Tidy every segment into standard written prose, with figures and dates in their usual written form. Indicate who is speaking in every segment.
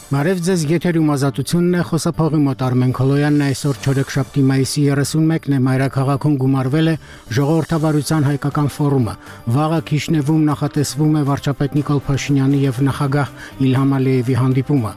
Speaker 1: Մարև ձեզ եթերում ազատությունն է, խոսափողի մոտ Արմեն Քոլոյանն է, այսօր չորեքշաբթի մայիսի 31-ն է, մայրաքաղաքում գումարվել է ժողովրդավարության հայկական ֆորումը։ Վաղը Քիշնևում նախատեսվում է վարչապետ Նիկոլ Փաշինյանի եւ նախագահ Իլհամ Ալիևի հանդիպումը։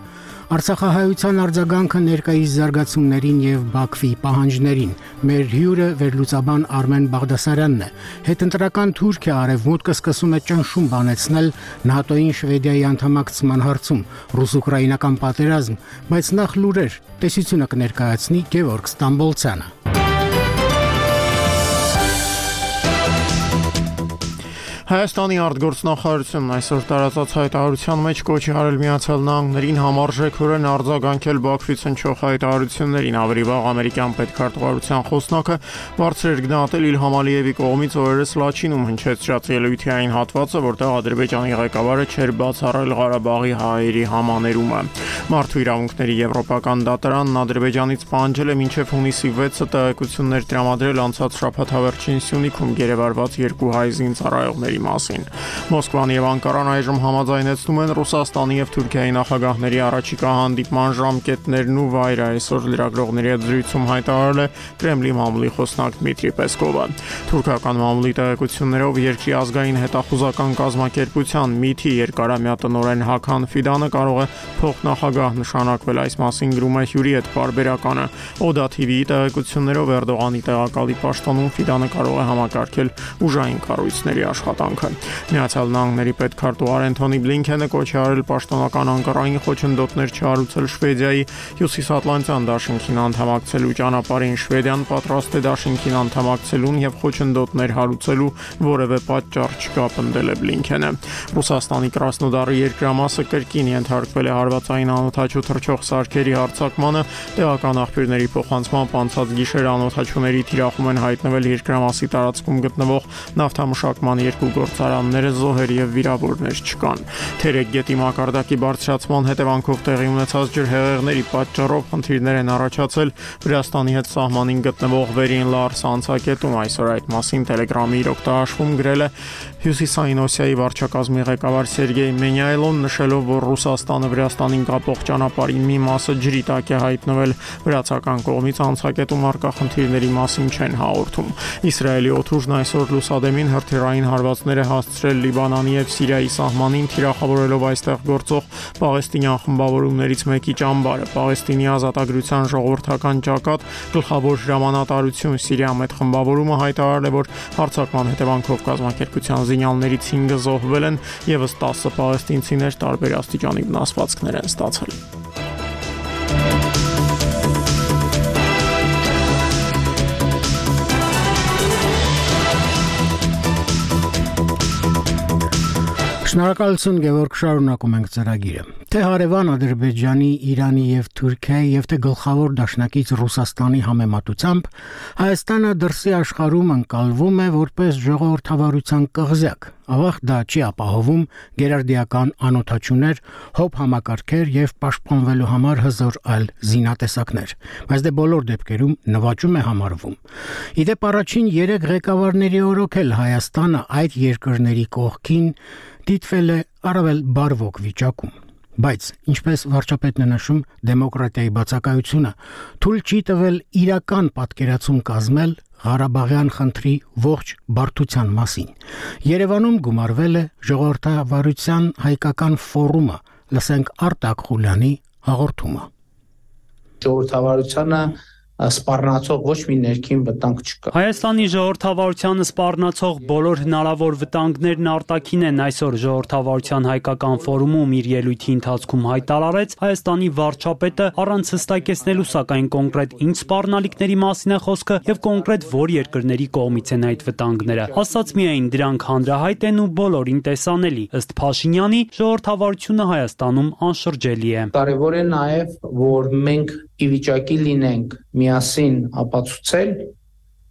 Speaker 1: Արցախահայության արձագանքը ներկայիս զարգացումներին եւ Բաքվի պահանջներին։ Մեր հյուրը վերլուծաբան Արմեն Բաղդասարյանն է։ Հետընտրական Թուրքիա արևմուտքը սկսում է ճնշում բանեցնել ՆԱՏՕ-ին Շվեդիայի անդամակցման հարցում, ռուս-ուկրաինական պատերազմ, բայց նախ լուրեր, տեսությունը կներկայացնի Գևորգ Ստամբոլցյանը։
Speaker 2: Հայաստանի արտգործնախարարությունն այսօր տարածած հայտարարության մեջ կոչ արել Միացյալ Նահանգներին համարժեքորեն արձագանքել Բաքվից հնչող հայտարարություններին։ Ավելի վաղ ամերիկյան պետքարտուղարության խոսնակը բարձր էր գնահատել Իլհամ Ալիևի կողմից օրերս Լաչինում հնչեցրած ելույթի այն հատվածը, որտեղ Ադրբեջանի ղեկավարը չէր բացառել Ղարաբաղի հայերի համաներումը։ Մարդու իրավունքների եվրոպական դատարանն Ադրբեջանից պահանջել է մինչև հունիսի 6-ը տեղեկություններ տրամադրել անցած շաբաթավերջին Սյունիքում գերեվարված 2 հայ զինծառայողների մասին։ Մոսկվան եւ Անկարան այժմ համաձայնեցնում են Ռուսաստանի եւ Թուրքիայի նախագահների առաջիկա հանդիպման ժամկետներն ու վայրը։ Այսօր լրագրողների հետ զրույցում հայտարարել է Կրեմլի մամուլի խոսնակ Դմիտրի Պեսկովը։ Թուրքական մամուլի տեղեկություններով երկրի ազգային հետախուզական կազմակերպության ՄԻԹ-ի երկարամյա տնօրեն Հական Ֆիդանը կարող է փոխնախագահ նշանակվել, այս մասին գրում է հյուրի հետ պարբերականը։ Օդա TV-ի տեղեկություններով Էրդողանի տեղակալի պաշտոնում Ֆիդանը կարող է համակարգել ուժային կառույցների աշխատանքը։ Միացյալ Նահանգների պետքարտուղար Անթոնի Բլինքենը կոչ է արել պաշտոնական Անկարային խոչընդոտներ չհարուցել Շվեդիայի Հյուսիսատլանտյան դաշինքին անդամակցելու ճանապարհին։ Շվեդիան պատրաստ է դաշինքին անդամակցելուն եւ խոչընդոտներ հարուցելու որևէ պատճառ չկա, պնդել է Բլինքենը։ Ռուսաստանի Կրասնոդարի երկրամասը կրկին ենթարկվել է հարվածային անօդաչու թռչող սարքերի հարձակմանը։ Տեղական աղբյուրների փոխանցմամբ անցած գիշեր անօդաչուների թիրախում են հայտնվել երկրամասի տարածքում գտնվող նավթամշակման 2 գործարանները, զոհեր եւ վիրավորներ չկան։ Թերեկ գետի մակարդակի բարձրացման հետևանքով տեղի ունեցած ջրհեղեղների պատճառով խնդիրներ են առաջացել Վրաստանի հետ սահմանին գտնվող Վերին Լարս անցակետում։ Այսօր այդ մասին Telegram-ի իր օգտահաշվում գրել է Հյուսիսային Օսիայի վարչակազմի ղեկավար Սերգեյ Մենյայլոն, նշելով, որ Ռուսաստանը Վրաստանին կապող ճանապարհի մի մասը ջրի տակ է հայտնվել։ Վրացական կողմից անցակետում առկա խնդիրների մասին չեն հաղորդում։ Իսրայելի օդուժն այսօր լուսադեմին հրթիռային հարվածներ է հասցրել Լիբանանի եւ Սիրիայի սահմանին, թիրախավորելով այստեղ գործող պաղեստինյան խմբավորումներից մեկի ճամբարը։ Պաղեստինի ազատագրության ժողովրդական ճակատ գլխավոր հրամանատարություն Սիրիայում այդ խմբավորումը հայտարարել է, որ հարձակման հետևանքով կազմակերպության զինյալներից 5-ը զոհվել են, եւս 10 պաղեստինցիներ տարբեր աստիճանի վնասվածքներ են ստացել։
Speaker 1: Շնորհակալություն Գևորգ, շարունակում ենք ծրագիրը։ Թե հարևան Ադրբեջանի, Իրանի եւ Թուրքիայի եւ թե գլխավոր դաշնակից Ռուսաստանի համեմատությամբ Հայաստանը դրսի աշխարհում ընկալվում է որպես ժողովրդավարության կղզյակ։ Ավաղ դա չի ապահովում գերարդիական անօթաչուներ, հոբ համակարգեր եւ պաշտպանվելու համար հզոր այլ զինատեսակներ, բայց դե բոլոր դեպքերում նվաճում է համարվում։ Իդեպ առաջին 3 ղեկավարների օրոքել Հայաստանը այդ երկրների կողքին դիտվել է առավել բարվոք վիճակում։ Բայց, ինչպես վարչապետն է նշում, դեմոկրատիայի բացակայությունը թույլ չի տվել իրական պատկերացում կազմել Ղարաբաղյան խնդրի ողջ բարդության մասին։ Երևանում գումարվել է ժողովրդավարության հայկական ֆորումը, լսենք Արտակ Խուլյանի հաղորդումը։
Speaker 3: Ժողովրդավարությանը սպառնացող ոչ մի ներքին վտանգ չկա։
Speaker 4: Հայաստանի ժողովրդավարությանը սպառնացող բոլոր հնարավոր վտանգներն արտաքին են, այսօր ժողովրդավարության հայկական ֆորումում իր ելույթի ընթացքում հայտարարեց Հայաստանի վարչապետը, առանց հստակեցնելու սակայն կոնկրետ ինչ սպառնալիքների մասին է խոսքը եւ կոնկրետ որ երկրների կողմից են այդ վտանգները։ Ասած միայն դրանք հանրահայտ են ու բոլորին տեսանելի։ Ըստ Փաշինյանի, ժողովրդավարությունը Հայաստանում անշրջելի է։
Speaker 3: Կարևոր է նաեւ, որ մենք ի վիճակի լինենք միասին ապացուցել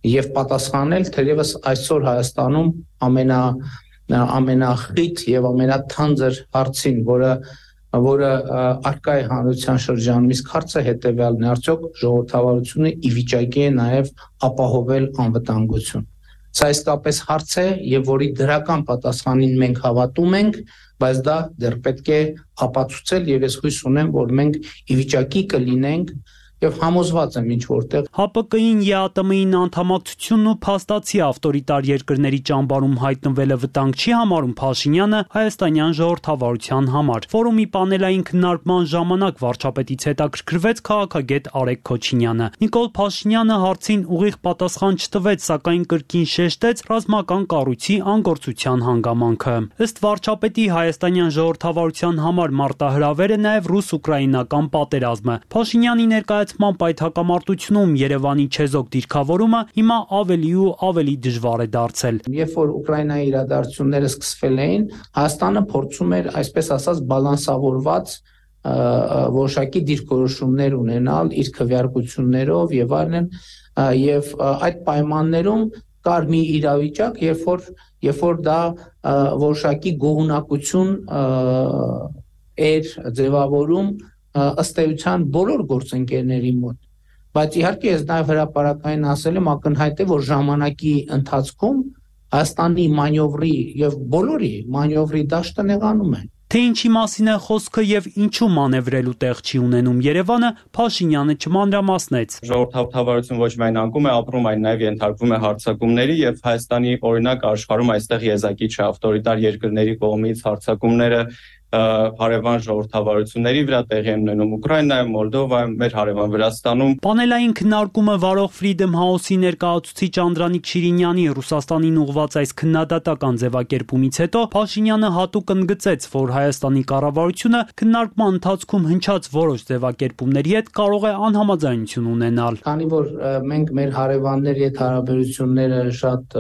Speaker 3: եւ պատասխանել, թերևս այսօր Հայաստանում ամենախիտ եւ ամենաթանձր հարցին, որը արկա է հանրության շրջանում, իսկ հարցը հետեւյալն է, արդյոք ժողովրդավարությունը ի վիճակի է նաեւ ապահովել անվտանգություն։ Սա իսկապես հարց է եւ որի դրական պատասխանին մենք հավատում ենք, բայց դա դեռ պետք է ապացուցել եւ ես հույս ունեմ, որ մենք ի վիճակի կլինենք եւ համոզված եմ ինչ որտեղ
Speaker 4: ՀԱՊԿ-ին ԵԱՏՄ-ին անդամակցությունն ու փաստացի ավտորիտար երկրների ճամբարում հայտնվելը վտանգ չի համարում Փաշինյանը հայաստանյան ժողովրդավարության համար։ Ֆորումի պանելային քննարկման ժամանակ վարչապետից հետաքրքրվեց քաղաքագետ Արեգ Քոչինյանը։ Նիկոլ Փաշինյանը հարցին ուղիղ պատասխան չտվեց, սակայն կրկին շեշտեց ռազմական կառույցի անգործության հանգամանքը։ Ըստ վարչապետի հայաստանյան ժողովրդավարության համար մարտահրավերը նաև ռուս-ուկրաինական պատերազմը։ Փաշինյանի ներկայացմամբ այդ հակամարտությունում Երևանի չեզոք դիրքավորումը հիմա ավելի ու ավելի դժվար է դարձել։
Speaker 3: Երբ որ Ուկրաինայի իրադարձությունները սկսվել էին, Հայաստանը փորձում էր, այսպես ասած, բալանսավորված որոշակի դիրքորոշումներ ունենալ իր քվեարկություններով եւ այլն, եւ այդ պայմաններում կար մի իրավիճակ, երբ որ դա որոշակի գոհունակություն էր ձևավորում ըստ էության բոլոր գործընկերների մոտ, բայց իհարկե ես նաև հրապարակային ասել եմ ակնհայտ է, որ ժամանակի ընթացքում Հայաստանի մանյովրի եւ բոլորի մանյովրի դաշտը նեղանում է։
Speaker 4: Թե ինչի մասին է խոսքը եւ ինչու մանևրելու տեղ չի ունենում Երևանը, Փաշինյանը չմանրամասնեց։
Speaker 5: Ժողովրդավարություն ոչ միայն անկում է ապրում, այլ նաեւ ենթարկվում է հարձակումների եւ Հայաստանի օրինակ աշխարհում այստեղ եզակի չէ ավտորիտար երկրների կողմից հարձակումները հարևան ժողովրդավարությունների վրա տեղի են ունենում Ուկրաինայում, Մոլդովայում, մեր հարևան Վրաստանում։
Speaker 4: Պանելային քննարկումը վարող Freedom House-ի ներկայացուցիչ Անդրանիկ Շիրինյանի Ռուսաստանին ուղղված այս քննադատական ձևակերպումից հետո Փաշինյանը հատուկ ընդգծեց, որ Հայաստանի կառավարությունը քննարկման ընթացքում հնչած որոշ ձևակերպումների հետ կարող է անհամաձայնություն ունենալ։
Speaker 3: Քանի որ մենք մեր հարևանների հետ հարաբերությունները շատ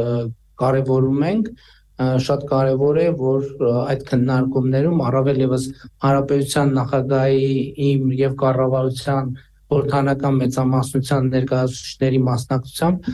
Speaker 3: կարևորում ենք, շատ կարևոր է, որ այդ քննարկումներում առավել եւս Հանրապետության նախագահի իմ եւ կառավարության խորհրդանական մեծամասնության ներկայացուցիչների մասնակցությամբ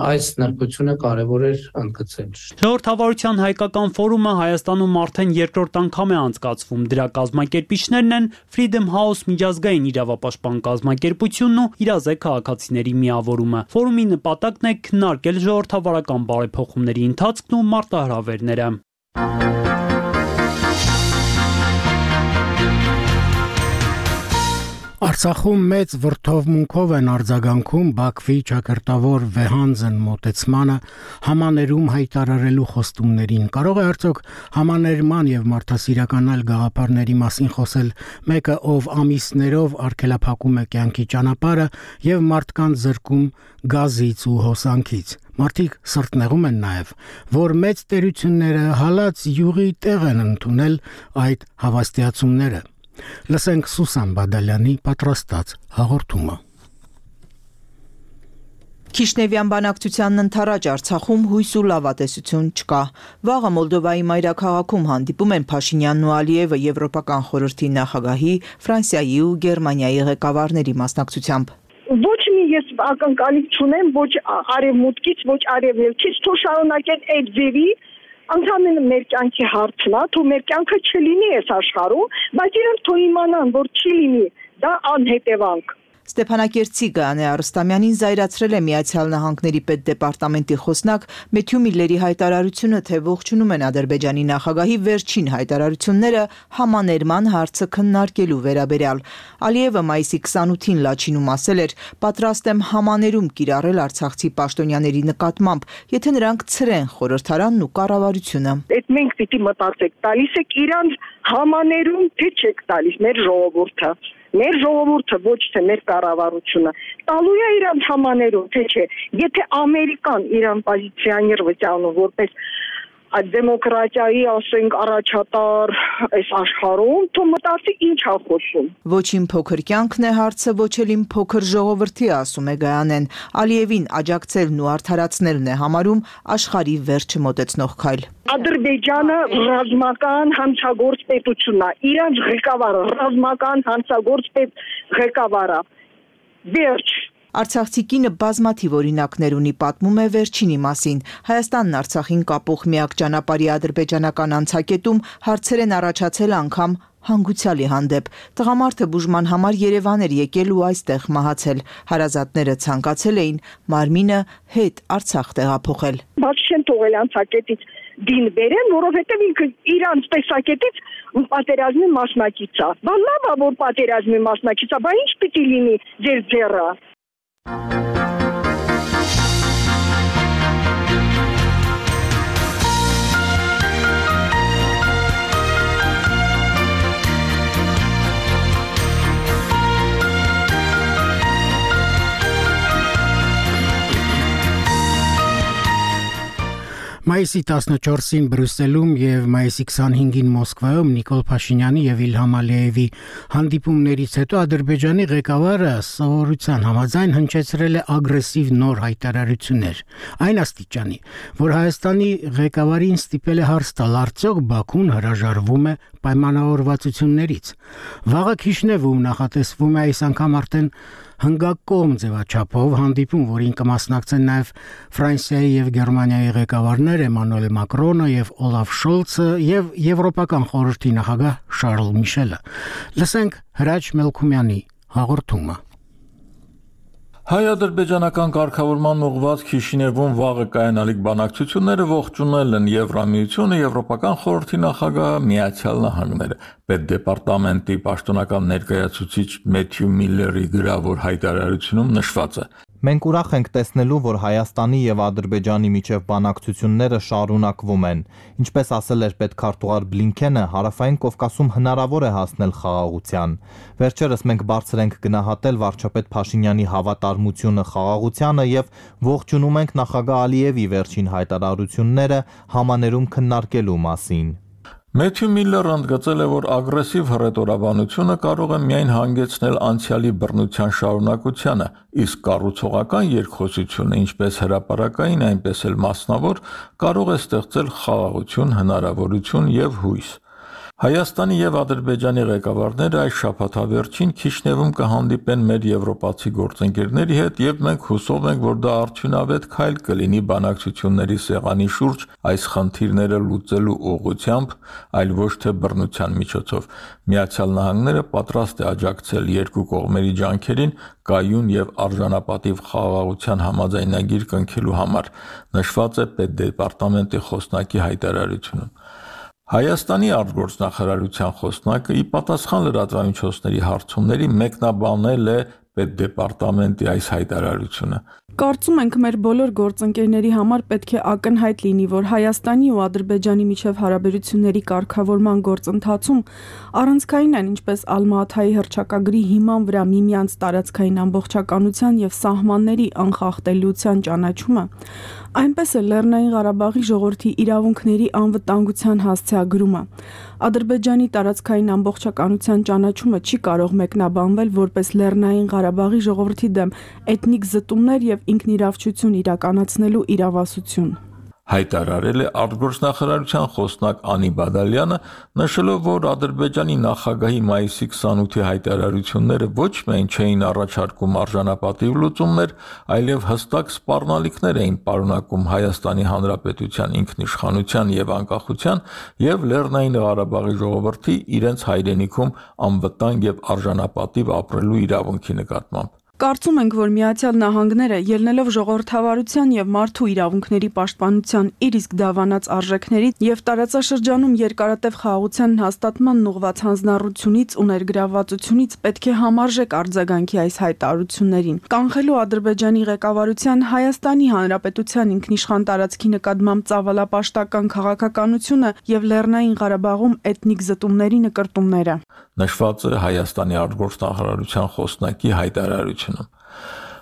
Speaker 3: այս նրբությունը կարևոր էր ընդգծել։
Speaker 4: Ժողովրդավարության հայկական ֆորումը Հայաստանում արդեն երկրորդ անգամ է անցկացվում։ Դրա կազմակերպիչներն են Freedom House միջազգային իրավապաշտպան կազմակերպությունն ու իրազեկ քաղաքացիների միավորումը։ Ֆորումի նպատակն է քննարկել ժողովրդավարական բարեփոխումների ընթացքն ու մարտահրավերները։
Speaker 1: Արցախում մեծ վրդովմունքով են արձագանքում Բաքվի ճակերտավոր վեհանձն մոտեցմանը համաներում հայտարարելու խոստումներին։ Կարող է արդյոք համաներման եւ մարդասիրական այլ գաղափարների մասին խոսել մեկը, ով ամիսներով արգելափակում է կյանքի ճանապարհը եւ մարդկանց զրկում գազից ու հոսանքից։ Մարդիկ սրտնեղում են նաև, որ մեծ տերությունները հալած յուղի տեղ են ընդունել այդ հավաստիացումները։ Լսենք Սուսան Բադալյանի պատրաստած հաղորդումը։
Speaker 6: Քիշնևյան բանակցությանն ընթരാճ Արցախում հույս ու լավատեսություն չկա։ Վաղը Մոլդովայի մայրաքաղաքում հանդիպում են Փաշինյանն ու Ալիևը Եվրոպական խորհրդի նախագահի, Ֆրանսիայի ու Գերմանիայի ղեկավարների մասնակցությամբ։
Speaker 7: Ոչ մի ես ակնկալիք չունեմ, ոչ արևմուտքից, ոչ արևելքից, թող շարունակեն այդ ձևի, ընդհանրապես մեր կյանքի հարցն է, թող մեր կյանքը չլինի այս աշխարհում, բայց իրենք թող իմանան, որ չի լինի, դա անհետևանք։
Speaker 6: Ստեփանակերտցի Գայանե Արստամյանին զայրացրել է Միացյալ Նահանգների պետդեպարտամենտի խոսնակ Մեթյու Միլլերի հայտարարությունը, թե ողջունում են Ադրբեջանի նախագահի վերջին հայտարարությունները համաներման հարցը քննարկելու վերաբերյալ։ Ալիևը մայիսի 28-ին Լաչինում ասել էր. «Պատրաստ եմ համաներում կիրառել արցախցի պաշտոնյաների նկատմամբ, եթե նրանք ցրեն խորհրդարանն ու կառավարությունը»։
Speaker 7: Այդ մենք պիտի մտածենք, տալիս եք իրանց համաներում, թե չեք տալիս մեր ժողովուրդը։ Մեր ժողովուրդը ոչ թե մեր կառավարությունը տալու է իրանց համաներում, թե չէ։ Եթե Ամերիկան իրան պոզիցիոներ վճարում որպես դեմոկրատիայի, ասենք, առաջատար այս աշխարհում, թող մտածի ինչ է խոսում։
Speaker 6: Ոչ իմ փոքր կյանքն է հարցը, ոչ էլ իմ փոքր ժողովրդի, ասում է Գայանեն։ Ալիևին աջակցելն ու արդարացնելն է համարում աշխարհի վերջը մոտեցնող քայլ։
Speaker 7: Ադրբեջանը ռազմական հանցագործ պետությունն է, իրանց ղեկավարը ռազմական հանցագործ ղեկավարը։ Վերջ։
Speaker 6: Արցախցի կինը բազմաթիվ օրինակներ ունի, պատմում է վերջինի մասին։ Հայաստանն Արցախին կապող միակ ճանապարհի ադրբեջանական անցակետում հարցեր են առաջացել անգամ հանգուցյալի հանդեպ։ Տղամարդը բուժման համար Երևան էր եկել ու այստեղ մահացել։ Հարազատները ցանկացել էին մարմինը հետ Արցախ տեղափոխել։
Speaker 7: Բաց չեն թողել անցակետից, դին բերեն, որովհետև ինքը իրանց տեսակետից պատերազմի մասնակից է։ Բա լավ է, որ պատերազմի մասնակից է, բա ինչ պիտի լինի ձեր ձեռը։
Speaker 1: Մայիսի 14-ին Բրյուսելում եւ մայիսի 25-ին Մոսկվայում Նիկոլ Փաշինյանի եւ Իլհամ Ալիևի հանդիպումներից հետո Ադրբեջանի ղեկավարը սովորության համաձայն հնչեցրել է ագրեսիվ նոր հայտարարություններ։ Այն աստիճանի, որ Հայաստանի ղեկավարին ստիպել է հարց տալ, արդյոք Բաքուն հրաժարվում է պայմանավորվածություններից։ Վաղը Քիշնևում նախատեսվում է այս անգամ արդեն հնգակողմ ձևաչափով հանդիպում, որին կմասնակցեն նաև Ֆրանսիայի եւ Գերմանիայի ղեկավարներ Էմանուել Մակրոնը եւ Օլաֆ Շոլցը եւ Եվրոպական խորհրդի նախագահ Շարլ Միշելը։ Լսենք Հրաչ Մելքումյանի հաղորդումը։
Speaker 8: Հայ-ադրբեջանական կարգավորման ուղղված Քիշինևում վաղը կայանալիք բանակցությունները ողջունել են Եվրամիությունը, Եվրոպական խորհրդի նախագահը, Միացյալ Նահանգները։ Պետդեպարտամենտի պաշտոնական ներկայացուցիչ Մեթյու Միլլերի գրավոր հայտարարությունում նշված է.
Speaker 9: Մենք ուրախ ենք տեսնելու, որ Հայաստանի եւ Ադրբեջանի միջև բանակցությունները շարունակվում են։ Ինչպես ասել էր պետքարտուղար Բլինքենը, Հարավային Կովկասում հնարավոր է հասնել խաղաղության։ Վերջերս մենք բարձր ենք գնահատել վարչապետ Փաշինյանի հավատարմությունը խաղաղությանը եւ ողջունում ենք նախագահ Ալիևի վերջին հայտարարությունները համաներում քննարկելու մասին։
Speaker 8: Մեթյու Միլլերը ընդգծել է, որ ագրեսիվ հռետորաբանությունը կարող է միայն հանգեցնել անցյալի բռնության շարունակությանը, իսկ կառուցողական երկխոսությունը, ինչպես հրապարակային, այնպես էլ մասնավոր, կարող է ստեղծել խաղաղություն, հնարավորություն եւ հույս։ Հայաստանի եւ Ադրբեջանի ղեկավարները այս շաբաթավերջին Քիշնևում կհանդիպեն մեր եվրոպացի գործընկերների հետ եւ մենք հուսով ենք, որ դա արդյունավետ քայլ կլինի բանակցությունների սեղանի շուրջ այս խնդիրները լուծելու ուղղությամբ, այլ ոչ թե բռնության միջոցով։ Միացյալ Նահանգները պատրաստ է աջակցել երկու կողմերի ջանքերին կայուն եւ արժանապատիվ խաղաղության համաձայնագիր կնքելու համար, նշված է պետդեպարտամենտի խոսնակի հայտարարությունում։ Հայաստանի արտգործնախարարության խոսնակը ի պատասխան լրատվամիջոցների հարցումների մեկնաբանել է պետդեպարտամենտի այս հայտարարությունը։
Speaker 10: Կարծում ենք մեր բոլոր գործընկերների համար պետք է ակնհայտ լինի, որ Հայաստանի ու Ադրբեջանի միջև հարաբերությունների կարգավորման գործընթացում առանցքային են ինչպես Ալմա-Աթայի հռչակագրի հիման վրա միմյանց տարածքային ամբողջականության եւ սահմանների անխախտելիության ճանաչումը, այնպես էլ Լեռնային Ղարաբաղի ժողովրդի իրավունքների անվտանգության հասցեագրումը։ Ադրբեջանի տարածքային ամբողջականության ճանաչումը չի կարող մեկնաբանվել որպես Լեռնային Ղարաբաղի ժողովրդի դեմ էթնիկ զտումներ եւ ինքնիրավչություն իրականացնելու իրավասություն։
Speaker 8: Հայտարարել է արտգործնախարարության խոսնակ Անի Բադալյանը, նշելով, որ Ադրբեջանի նախագահի մայիսի 28-ի հայտարարությունները ոչ միայն չէին առաջարկում արժանապատիվ լուծումներ, այլև հստակ սպառնալիքներ էին պարունակում Հայաստանի Հանրապետության ինքնիշխանության եւ անկախության եւ Լեռնային Ղարաբաղի ժողովրդի իրենց հայրենիքում անվտանգ եւ արժանապատիվ ապրելու իրավունքի նկատմամբ։
Speaker 10: Կարծում ենք, որ Միացյալ Նահանգները ելնելով ժողովրդավարության եւ մարդու իրավունքների պաշտպանության իր իսկ դավանած արժեքներից եւ տարածաշրջանում երկարատև խաղաղության հաստատման ուղղված հանձնառությունից ու ներգրավվածությունից պետք է համարժեք արձագանքի այս հայտարարություններին, կանխելու Ադրբեջանի ղեկավարության Հայաստանի Հանրապետության ինքնիշխան տարածքի նկատմամբ ծավալապաշտական քաղաքականությունը եւ Լեռնային Ղարաբաղում էթնիկ զտումների նկրտումները։
Speaker 8: Նշված է Հայաստանի արտգործնախարարության խոսնակի հայտարարությունում։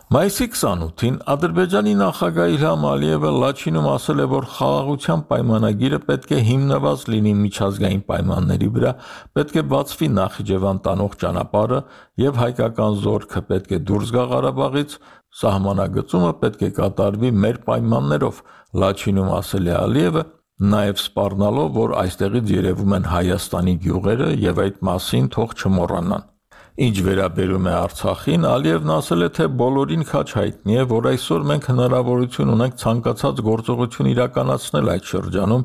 Speaker 8: Մայիսի 28-ին Ադրբեջանի նախագահ Իլհամ Ալիևը Լաչինում ասել է, որ խաղաղության պայմանագիրը պետք է հիմնված լինի միջազգային պայմանների վրա, պետք է բացվի Նախիջևան տանող ճանապարհը եւ հայկական զորքը պետք է դուրս գա Ղարաբաղից, սահմանագծումը պետք է կատարվի մեր պայմաններով, Լաչինում ասել է Ալիևը, նաև սպառնալով, որ այստեղից երևում են Հայաստանի գյուղերը եւ այդ մասին թող չմոռանան։ Ինչ վերաբերում է Արցախին, Ալիևն ասել է, թե բոլորին քաչ հայտնի է, որ այսօր մենք հնարավորություն ունենք ցանկացած գործողություն իրականացնել այդ շրջանում,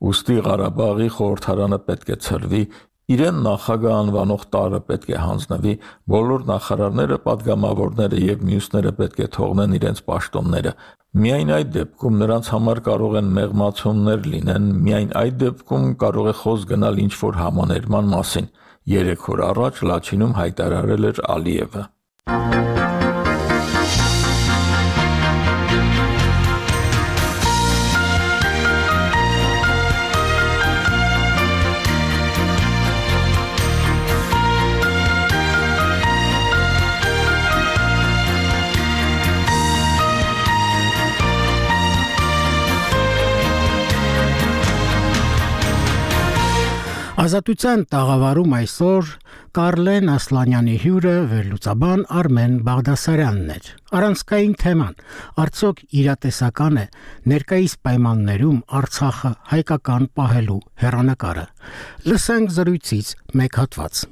Speaker 8: ուստի Ղարաբաղի խորհրդարանը պետք է ցրվի Իրեն նախագահ անվանող տարը պետք է հանձնվի, բոլոր նախարարները, падգամավորները եւ մյուսները պետք է թողնեն իրենց պաշտոնները։ Միայն այդ դեպքում նրանց համար կարող են մեղմացումներ լինեն, միայն այդ դեպքում կարող է խոսք գնալ ինչ-որ համաներման մասին։ 3 օր առաջ Լաչինում հայտարարել էր Ալիևը։
Speaker 1: Ազատության տաղավարում այսօր Կարլեն Ասլանյանի հյուրը վերլուծաբան Արմեն Բաղդասարյանն էր։ Առանցքային թեման՝ արդյոք իրատեսական է ներկայիս պայմաններում Արցախը հայկական պահելու հեռանկարը։ Լսենք զրույցից մեկ հատված։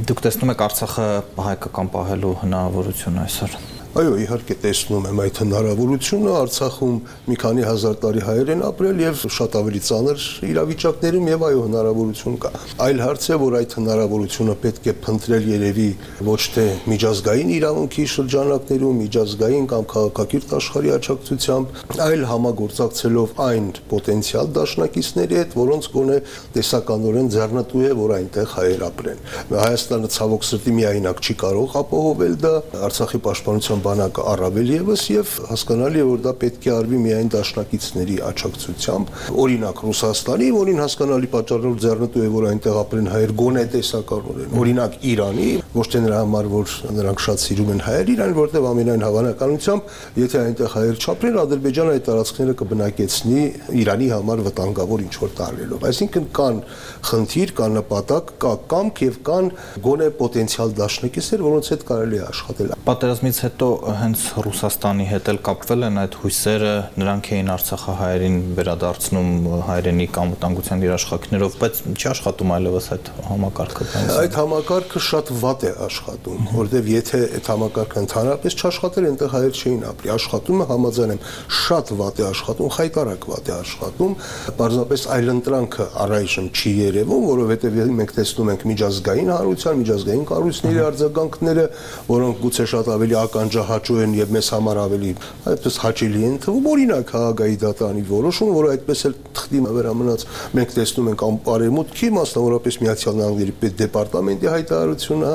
Speaker 9: Դուք տեսնում եք Արցախը հայկական պահելու հնարավորություն այսօր։
Speaker 11: Այո, իհարկե տեսնում եմ այդ հնարավորությունը, Արցախում մի քանի հազար տարի հայեր են ապրել եւ շատ ավելի ծանր իրավիճակներում եւ այո հնարավորություն կա։ Այլ հարց է, որ այդ հնարավորությունը պետք է փնտրել երևի ոչ թե միջազգային իրավունքի շրջանակներում, միջազգային կամ քաղաքակիրթ աշխարհի աջակցությամբ, այլ համագործակցելով այն պոտենցիալ դաշնակիցների հետ, որոնց գոնե տեսականորեն ձեռնտու է, որ այնտեղ հայեր ապրեն։ Հայաստանը ցավոք սրտի միայնակ չի կարող ապահովել դա, Արցախի պաշտպանության բանակը առավել եւս եւ հասկանալի է, որ դա պետք է արվի միայն դաշնակիցների աջակցությամբ, օրինակ Ռուսաստանի, որին հասկանալի պատճառով ձեռնտու է, որ այնտեղ ապրեն հայեր գոնե տեսականորեն, օրինակ Իրանի, ոչ թե նրա համար, որ նրանք շատ սիրում են հայեր Իրան, որտեղ ամենայն հավանականությամբ, եթե այնտեղ հայեր չապրեն, Ադրբեջանը այդ տարածքները կբնակեցնի Իրանի համար վտանգավոր ինչ-որ տարրելով։ Այսինքն կան խնդիր, կան նպատակ, կա կամք եւ կան գոնե պոտենցիալ դաշնակիցներ, որոնց հետ կարելի է աշխատել։
Speaker 9: Պատերազմից հետո հենց Ռուսաստանի հետ էլ կապվել են այդ հույսերը, նրանք էին արցախահայերին վերադարձնում հայրենիք անվտանգության երաշխիքներով, բայց չի աշխատում այլևս այդ համակարգը։
Speaker 11: Այդ համակարգը շատ վատ է աշխատում, որովհետև եթե այդ համակարգը ընդհանրապես չաշխատեր, այնտեղ հայեր չէին ապրի։ Աշխատում է, համաձայն եմ, շատ վատ է աշխատում, խայտարակ վատ է աշխատում, պարզապես այլընտրանքը առայժմ չի երևում, որովհետև մենք տեսնում ենք միջազգային հանրության, միջազգային կառույցների արձագանքները, որոնք գուցե շատ ավելի ականջահաճո են եւ մեզ համար ավելի այդպես հաճելի են թվում, օրինակ Հաագայի դատարանի որոշում, որը այդպես էլ թղթի վերամնաց մենք տեսնում ենք անպարեմուտքի, մասնավորապես Միացյալ Նահանգների պետդեպարտամենտի հայտարարությունը,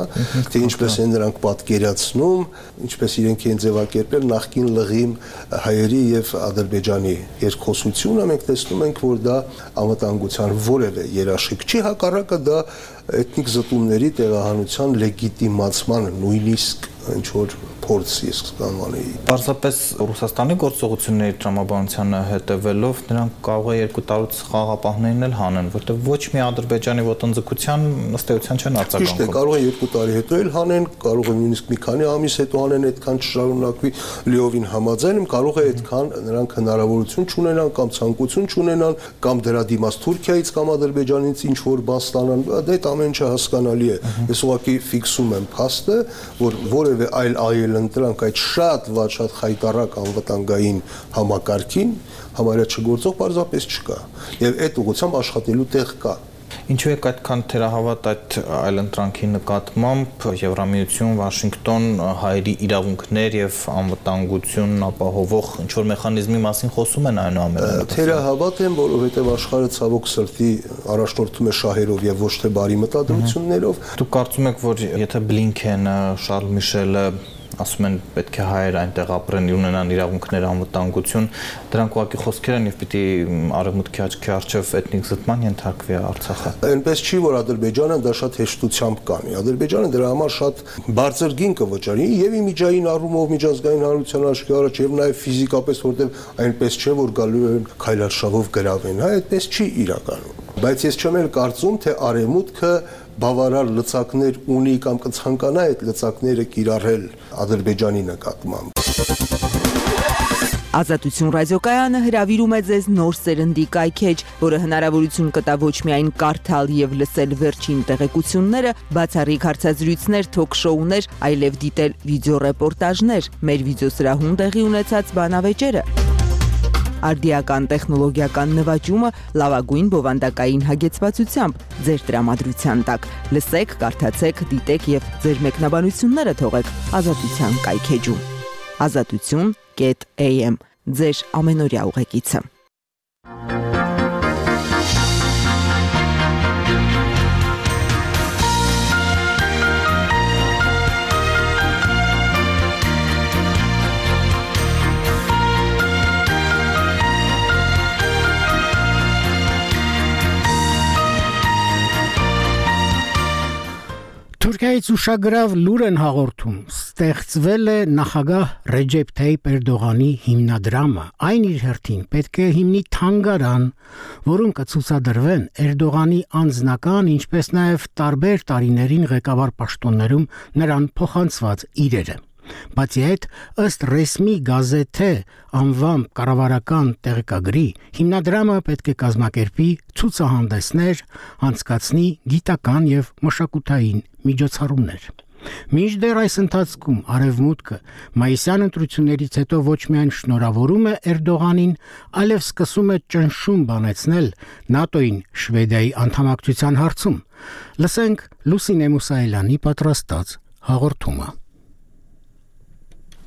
Speaker 11: թե ինչպես են նրանք պատկերացնում, ինչպես իրենք են ձևակերպել նախկին լղիմ հայերի եւ Ադրբեջանի երկխոսությունը, մենք տեսնում ենք, որ դա անվտանգության որևէ երաշխիք չի, հակառակը դա էթնիկ զտումների տեղահանության լեգիտիմացման նույնիսկ ինչ որ փորձ ես կանոնեի։
Speaker 9: Պարզապես Ռուսաստանի գործողությունների տրամաբանությանը հետևելով նրանք կարող է 2 տարուց խաղապահներին էլ հանեն, որտեղ ոչ մի Ադրբեջանի ոտնձգության ըստ էության չեն արձագանքում։
Speaker 11: Ճիշտ է, կարող է 2 տարի հետո էլ հանեն, կարող է նույնիսկ մի քանի ամիս հետո հանեն, այդքան չշարունակվի, լիովին համաձայն եմ, կարող է այդքան նրանք հնարավորություն չունենան կամ ցանկություն չունենան կամ դրա դիմաց Թուրքիայից կամ Ադրբեջանից ինչ որ բան ստանան, դա ամեն ինչը հասկանալի է։ Ես ուղղակի ֆիքսում եմ փաստը, որ որևէ այլ ընտրանք այդ շատ վատ շատ խայտարակ անվտանգային համակարգին համարյա չգործող պարզապես չկա եւ այդ ուղղությամբ աշխատելու տեղ կա։
Speaker 9: Ինչու է այդքան թերահավատ այդ այլընտրանքի նկատմամբ Եվրամիություն, Վաշինգտոն հայերի իրավունքներ եւ անվտանգություն ապահովող ինչ որ մեխանիզմի մասին խոսում են այնուամենայնիվ։
Speaker 11: Թերահավատ են, որովհետեւ աշխարհը ցավոք սրտի առաջնորդում է շահերով եւ ոչ թե բարի մտադրություններով։
Speaker 9: Դուք կարծում եք, որ եթե Բլինքենը, Շարլ Միշելը ասում են պետք է հայեր այնտեղ ապրեն, ունենան իրավունքներ, անվտանգություն, դրանք ուղղակի խոսքեր են եւ պիտի արևմուտքի աչքի առջեւ էթնիկ զտման ենթարկվի Արցախը։
Speaker 11: Այնպես չի, որ Ադրբեջանը դա շատ հեշտությամբ կանի։ Ադրբեջանը դրա համար շատ բարձր գին կվճարի եւ իմիջային առումով միջազգային հանրության աչքի առաջ եւ նաեւ ֆիզիկապես, որտեղ այնպես չէ, որ գալու են քայլարշավով գրավեն, հա, այդպես չի իրականում։ Բայց ես չեմ էլ կարծում, թե արևմուտքը բավարար լծակներ ունի կամ կցանկանա այդ լծակները կիրառել Ադրբեջանի նկատմամբ։
Speaker 12: Ազատություն ռադիոկայանը հրավիրում է ձեզ նոր սերնդի կայքեջ, որը հնարավորություն կտա ոչ միայն կարդալ եւ լսել վերջին տեղեկությունները, բացառիկ հարցազրույցներ, թոք-շոուներ, այլև դիտել վիդեոռեպորտաժներ, մեր վիդեոսրահում տեղի ունեցած բանավեճերը։ արդիական տեխնոլոգիական նվաճումը լավագույն բովանդակային հագեցվածությամբ ձեր տրամադրության տակ։ Լսեք, կարդացեք, դիտեք եւ ձեր մեկնաբանությունները թողեք Ազատության կայքեջում։ Azatutun.am ձեր ամենօրյա ուղեկիցը։
Speaker 1: Թուրքիայից ուշագրավ լուր են հաղորդում, ստեղծվել է նախագահ Ռեջեփ Թայիփ Էրդողանի հիմնադրամը, այն իր հերթին պետք է հիմնի թանգարան, որում կցուցադրվեն Էրդողանի անձնական, ինչպես նաև տարբեր տարիներին ղեկավար պաշտոններում նրան փոխանցված իրերը։ Բացի այդ, ըստ ռեսմի գազեթե անվամբ կառավարական տեղեկագրի, հիմնադրամը պետք է կազմակերպի ցուցահանդեսներ, անցկացնի գիտական եւ մշակութային միջոցառումներ։ Մինչդեռ այս ընթացքում Արևմուտքը մայիսյան ընտրություններից հետո ոչ միայն շնորհավորում է Էրդողանին, այլև սկսում է ճնշում բանեցնել ՆԱՏՕ-ին Շվեդիայի անդամակցության հարցում։ Լսենք Լուսինե Մուսայելյանի պատրաստած հաղորդումը։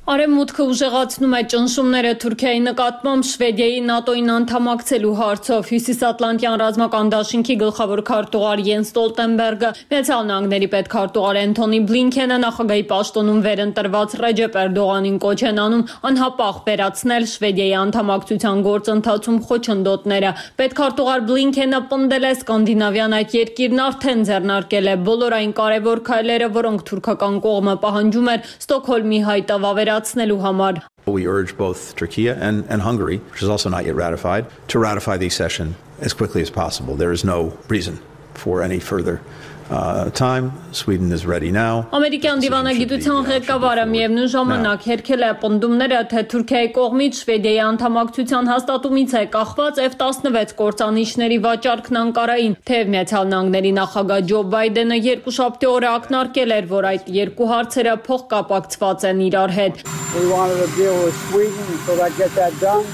Speaker 13: Արևմուտքը ուժեղացնում է ճնշումները Թուրքիայի նկատմամբ Շվեդիայի ՆԱՏՕ-ին անդամակցելու հարցով։ Հյուսիսատլանտյան ռազմական դաշինքի գլխավոր քարտուղար Յենս Ստոլտենբերգը, Միացյալ Նահանգների պետքարտուղար Էնթոնի Բլինքենը նախագահի պաշտոնում վերընտրված Ռեջեփ Էրդողանին կոչ են անում անհապաղ վերացնել Շվեդիայի անդամակցության գործընթացում խոչընդոտները։ Պետքարտուղար Բլինքենը պնդել է սկանդինավյան այդ երկիրն արդեն ձեռնարկել է բոլոր այն կարևոր քայլերը, որոնք թուրքական կողմը պահանջում էր Ստոկհոլմի հայտավավեր
Speaker 14: We urge both Turkey and Hungary, which is also not yet ratified, to ratify the accession as quickly as possible. There is no reason for any further time. Sweden is ready now.
Speaker 13: Ամերիկյան դիվանագիտության ղեկավարը միևնույն ժամանակ հերքել է պնդումները, թե Թուրքիայի կողմից Շվեդիայի անդամակցության հաստատումից է կախված F-16 կործանիչների վաճառքն Անկարային, թեև Միացյալ Նահանգների նախագահ Ջո Բայդենը երկուշաբթի օրը ակնարկել էր, որ այդ երկու հարցերը փոխկապակցված են իրար հետ։
Speaker 15: We wanted to deal with Sweden so that get that done.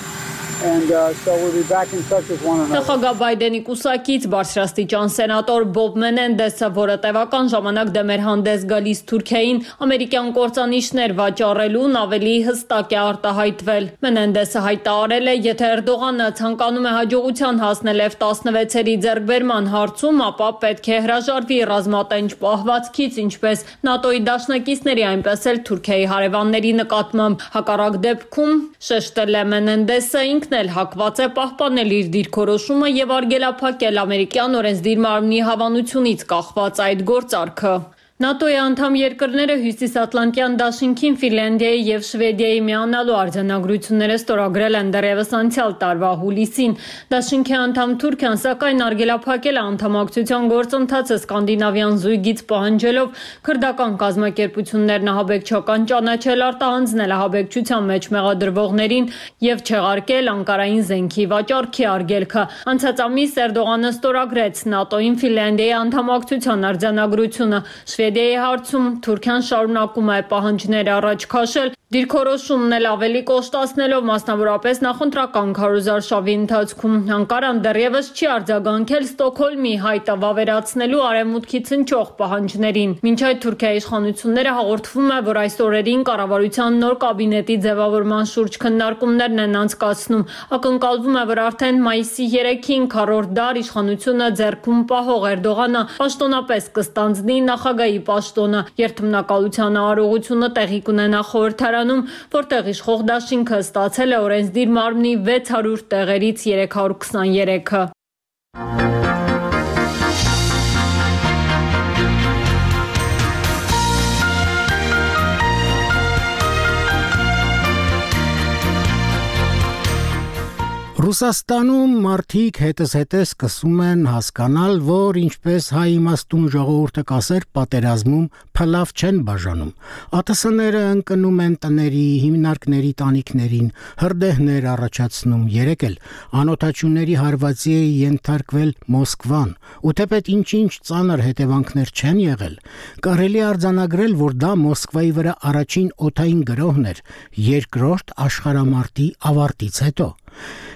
Speaker 15: And so we'll be back in touch with one another.
Speaker 13: Նախագահ Բայդենի կուսակից բարձրաստիճան սենատոր Բոբ Մենենդեսը, որը տևական ժամանակ դեմ էր հանդես գալիս Թուրքիային ամերիկյան կործանիչներ վաճառելուն, ավելի հստակ է արտահայտվել։ Մենենդեսը հայտարարել է, եթե Էրդողանը ցանկանում է հաջողության հասնել F-16-երի ձեռքբերման հարցում, ապա պետք է հրաժարվի ռազմատենչ պահվածքից, ինչպես ՆԱՏՕ-ի դաշնակիցների, այնպես էլ Թուրքիայի հարևանների նկատմամբ։ Հակառակ դեպքում, շեշտել է Մենենդեսը, ինքն էլ հակված է պահպանել իր դիրքորոշումը եւ արգելափակել ամերիկյան օրենսդիր մարմնի հավանությունից կախված այդ գործարքը։ ՆԱՏՕ-ի անդամ երկրները Հյուսիսատլանտյան դաշինքին Ֆինլանդիայի եւ Շվեդիայի միանալու արձանագրությունները ստորագրել են դեռևս անցյալ տարվա հուլիսին։ Դաշինքի անդամ Թուրքիան սակայն արգելափակել է անդամակցության գործընթացը սկանդինավյան զույգից պահանջելով քրդական կազմակերպություններն ահաբեկչական ճանաչել, արտահանձնել ահաբեկչության մեջ մեղադրվողներին եւ չեղարկել Անկարային զենքի վաճառքի արգելքը։ Անցած ամիս Էրդողանը ստորագրեց ՆԱՏՕ-ին Ֆինլանդիայի անդամակցության արձանագրությունը։ Շվեդիայի հարցում Թուրքիան շարունակում է պահանջներ առաջ քաշել, դիրքորոշումն էլ ավելի կոշտացնելով մասնավորապես նախընտրական քարոզարշավի ընթացքում։ Անկարան դեռևս չի արձագանքել Ստոկհոլմի հայտը վավերացնելու արևմուտքից հնչող պահանջներին։ Մինչ այդ Թուրքիայի իշխանությունները հաղորդվում է, որ այս օրերին կառավարության նոր կաբինետի ձևավորման շուրջ քննարկումներն են անցկացնում։ Ակնկալվում է, որ արդեն մայիսի 3-ին քառորդ դար իշխանությունը ձեռքում պահող Էրդողանը պաշտոնապես կստանձնի նախագահի պաշտոնը։ Երթմնակալության արարողությունը տեղի կունենա խորհրդարանում, որտեղ իշխող դաշինքը ստացել է օրենսդիր մարմնի 600 տեղերից 323-ը։
Speaker 1: Ռուսաստանում մարդիկ հետզհետե սկսում են հասկանալ, որ ինչպես հայ իմաստուն ժողովուրդը կասեր, պատերազմում փլավ չեն բաժանում։ ԱՏՍ-ները ընկնում են տների, հիմնարկների տանիքներին, հրդեհներ առաջացնում, երեկ էլ անօթաչուների հարվածի է ենթարկվել Մոսկվան, ու թեպետ ինչ-ինչ ծանր հետևանքներ չեն եղել, կարելի արձանագրել, որ դա Մոսկվայի վրա առաջին օդային գրոհն էր երկրորդ աշխարհամարտի ավարտից հետո։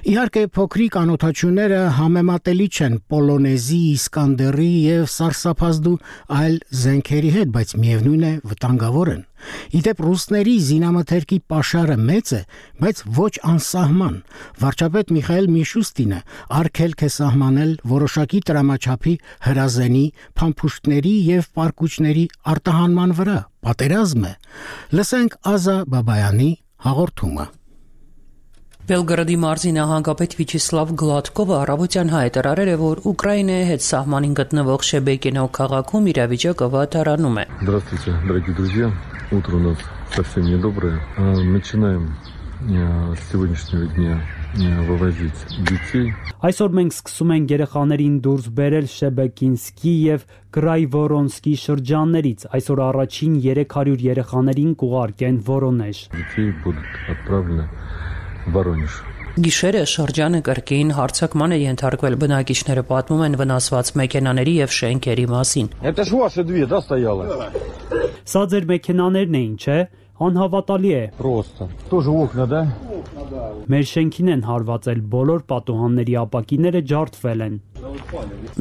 Speaker 1: Իհարկե փոքրիկ անօթաչուները համեմատելի չեն Պոլոնեզի, Իսկանդերի եւ Սարսափազդու այլ զենքերի հետ, բայց միևնույն է վտանգավոր են։ Իդեպ ռուսների զինամթերքի պաշարը մեծ է, բայց ոչ անսահման։ Վարչապետ Միխայել Միշուստինը արգելք է սահմանել որոշակի տրամաչափի հրազենի, փամփուշտների եւ պարկուճների արտահանման վրա։ Պատերազմ է։ Լսենք Ազա Բաբայանի հաղորդումը։
Speaker 16: Բելգրադի մարզի նահանգապետ Վիչեսլավ Գլադկովը առավոտյան հայտարարել է, որ Ուկրաինայի հետ սահմանին գտնվող Շեբեկինո քաղաքում իրավիճակը վատարանում է։
Speaker 17: Здравствуйте, дорогие друзья. Утро у нас совсем недоброе. Начинаем с сегодняшнего дня вывозить детей.
Speaker 4: Այսօր մենք սկսում ենք երեխաներին դուրս բերել Շեբեկինսկի եւ Գրայվորոնսկի շրջաններից։ Այսօր առաջին 300 երեխաներին կուղարկեն Վորոնեժ։
Speaker 17: Детей будут отправлены в Воронеж.
Speaker 16: Գիշերը շրջանը կրկին հարձակման է ենթարկվել, բնակիչները պատմում են վնասված մեքենաների եւ շենքերի մասին։
Speaker 17: Это ж ваши две, да, стояло?
Speaker 4: Սա ձեր մեքենաներն էին, չէ՞։ Անհավատալի է։
Speaker 17: Просто. Тоже окна, да?
Speaker 4: Մեր շենքին են հարվածել, բոլոր պատուհանների ապակիները ջարդվել են։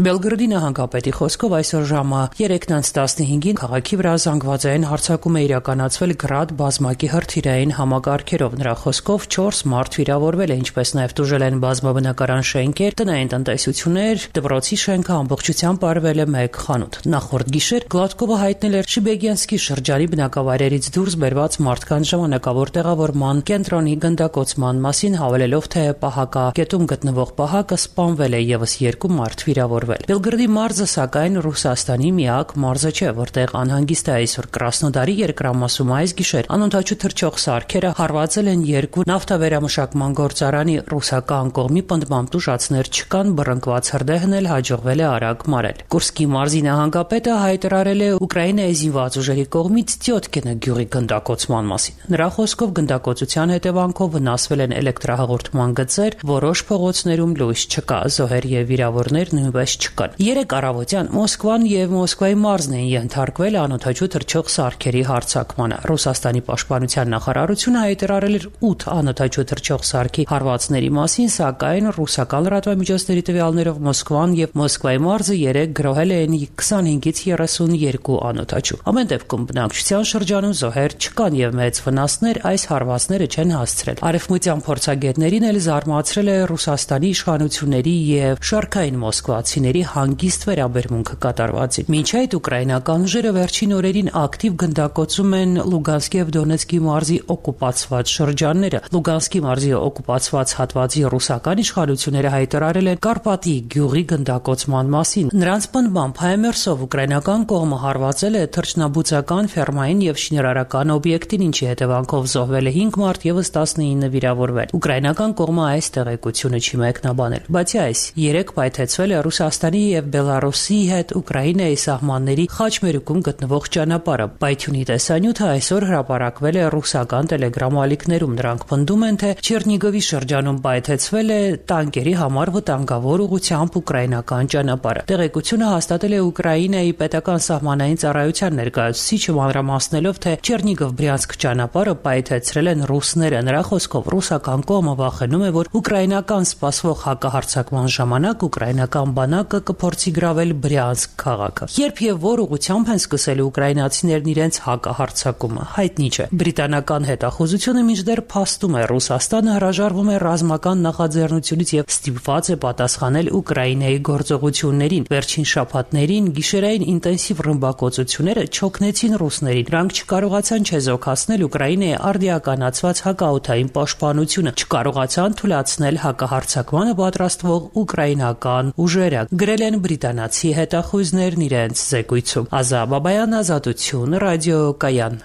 Speaker 16: Բելգրադի նահանգապետի խոսքով այսօր ժամը 3:15-ին քաղաքի վրա զանգվածային հարձակում է իրականացվել Գրադ բազմակի հրթիռային համակարգերով։ Նրա խոսքով 4 մարդ վիրավորվել է, ինչպես նաև տուժել են բազմաբնակարան շենքեր, տնային տնտեսություններ, դպրոցի շենքը ամբողջությամբ արվել է 1 խանութ։ Նախորդ գիշեր Գլադկովը հայտնել էր Շեբեգյանսկի շրջանի բնակավայրերից դուրս բերված մարդկանց ժամանակավոր տեղավորման կենտրոնի գնդակոծման մասին, հավելելով, թե պահակագետում գտնվող պահակը սպանվել է եւս 2 մարդ վիրավորվել։ Բելգրադի մարզը սակայն Ռուսաստանի միակ մարզը չէ, որտեղ անհանգիստ է այսօր Կրասնոդարի երկրամասում այս գիշեր անօթաչու թռչող սարքերը հարվածել են 2 նավթավերամշակման գործարանի, ռուսական կողմի պնդմամբ տուժածներ չկան, բռնկված հրդեհն էլ հաջողվել է արագ մարել։ Կուրսկի մարզի նահանգապետը հայտարարել է Ուկրաինայի զինված ուժերի կողմից Տյոտկինը գյուղի գնդակոծման մասին։ Նրա խոսքով գնդակոծության հետևանքով վնասվել են էլեկտրահաղորդման գծեր, որոշ փողոցներում լույս չկա, զոհեր եւ վիրավորներ նույնպես չկան։ 3 առավոտյան Մոսկվան եւ Մոսկվայի մարզն են ենթարկվել անօթաչու թռչող սարքերի հարձակմանը։ Ռուսաստանի պաշտպանության նախարարությունը հայտարարել էր 8 անօթաչու թռչող սարքի հարվածների մասին, սակայն ռուսական լրատվամիջոցների տվյալներով Մոսկվան եւ Մոսկվայի մարզը 3 գրոհել են 25-ից 32 անօթաչու։ Ամեն դեպքում բնակչության շրջանում զոհեր չկան եւ մեծ վնասներ այս հարվածները չեն հասցրել։ Արևմտյան փորձագետներին էլ զարմացրել է Ռուսաստանի իշխանությունների եւ շարքային մոսկվացիների հանգիստ վերաբերմունքը կատարվածին։ Մինչ այդ ուկրաինական ուժերը վերջին օրերին ակտիվ գնդակոծում են Լուգանսկի եւ Դոնեցկի մարզի օկուպացված շրջանները։ Լուգանսկի մարզի օկուպացված հատվածի ռուսական իշխանությունները հայտարարել են Կարպատի գյուղի գնդակոծման մասին։ Նրանց պնդմամբ Հայմերսով ուկրաինական կողմը հարվածել է թռչնաբուծական, ֆերմային եւ շինարարական օբյեկտին, ինչի հետևանքով զոհվել է 5 մարդ եւս 19 վիրավորվել։ Ուկրաինական կողմը այս տեղեկությունը չի մեկնաբանել։ Բացի այս, 3 պայթեցվել է Ռուսաստանի եւ Բելարուսի հետ Ուկրաինայի սահմանների խաչմերուկում գտնվող ճանապարհը։ Պայթյունի տեսանյութը այսօր հրապարակվել է ռուսական տելեգրամ ալիքներում։ Նրանք պնդում են, թե Չերնիգովի շրջանում պայթեցվել է տանկերի համար վտանգավոր ուղղությամբ ուկրաինական ճանապարհը։ Տեղեկությունը հաստատել է Ուկրաինայի պետական սահմանային ծառայության ներկայացուցիչը, մանրամասնելով, թե Չերնիգով-Բրյանսկ ճանապարհը պայթեցրել են ռուսները։ Նրա խոսքով ռուսական կողմը վախենում է, որ ուկրաինական սպասվող հակահարձակման ժամանակ ուկրաինական բանակը կփորձի գրավել Բրյանսկ քաղաքը։ Երբ եւ որ ուղղությամբ են սկսել ուկրաինացիներն իրենց հակահարձակումը, հայտնի չէ։ Բրիտանական հետախուզությունը մինչդեռ փաստում է, Ռուսաստանը հրաժարվում է ռազմական նախաձեռնությունից եւ ստիպված է պատասխանել Ուկրաինայի գործողություններին։ Վերջին շաբաթներին գիշերային ինտենսիվ ռմբակոծությունները չօգնեցին ռուսներին։ Նրանք չկարողացան չեզոքացնել Ուկրաինայի արդիականացված հակաօդային պաշտպանությունը, չկարողացան թույլատրել հակահարձակմանը պատրաստվող ուկրաինական ուժերը, գրել են բրիտանացի հետախույզներն իրենց զեկույցում։ Ազա Բաբայան, Ազատություն, ռադիոկայան։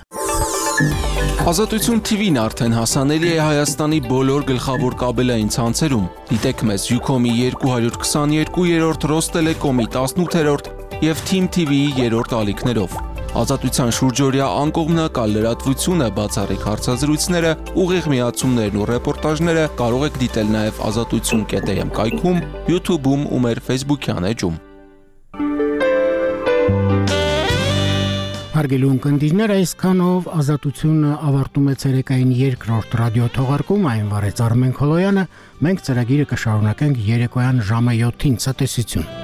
Speaker 18: Ազատություն TV-ն արդեն հասանելի է Հայաստանի բոլոր գլխավոր կաբելային ցանցերում։ Դիտեք մեզ Ucom-ի 222-րդ, Ռոստելեկոմի 18-րդ եւ Team TV-ի 3-րդ ալիքներով։ Ազատության շուրջօրյա անկողմնակալ լրատվությունը, բացառիկ հարցազրույցները, ուղիղ միացումներն ու ռեպորտաժները կարող եք դիտել նաև azatutsun.am կայքում, YouTube-ում ու մեր Facebook-յան էջում։
Speaker 1: Հարգելի ունկնդիրներ, այսքանով Ազատությունը ավարտում է ցերեկային երկրորդ ռադիո թողարկում, այն վարեց Արմեն Քոլոյանը, մենք ծրագիրը կշարունակենք երեկոյան ժամը 7-ին, ցտեսություն։